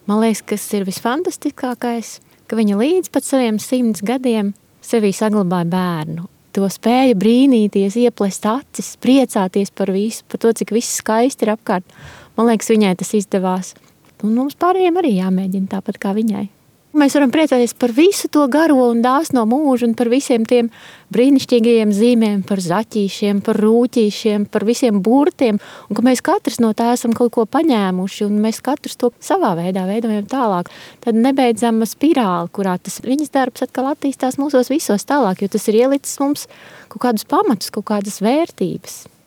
Man liekas, kas ir visfantastiskākais, ka viņa līdz pat saviem 100 gadiem sevī saglabāja bērnu. To spēja brīnīties, ieplest acis, priecāties par visu, par to, cik viss skaisti ir apkārt. Man liekas, viņai tas izdevās. Un mums pārējiem arī jāmēģina tāpat kā viņai. Mēs varam priecāties par visu to garo un dāsno mūžu un par visiem tiem brīnišķīgajiem zīmēm, par zaķīšiem, par rūķīšiem, par visiem burtiem, un ka mēs katrs no tā esam kaut ko paņēmuši, un mēs katrs to savā veidā veidojam tālāk. Tad nebeidzama spirāli, kurā tas viņas darbs atkal attīstās mūsos visos tālāk, jo tas ir ielicis mums kaut kādus pamatus, kaut kādas vērtības.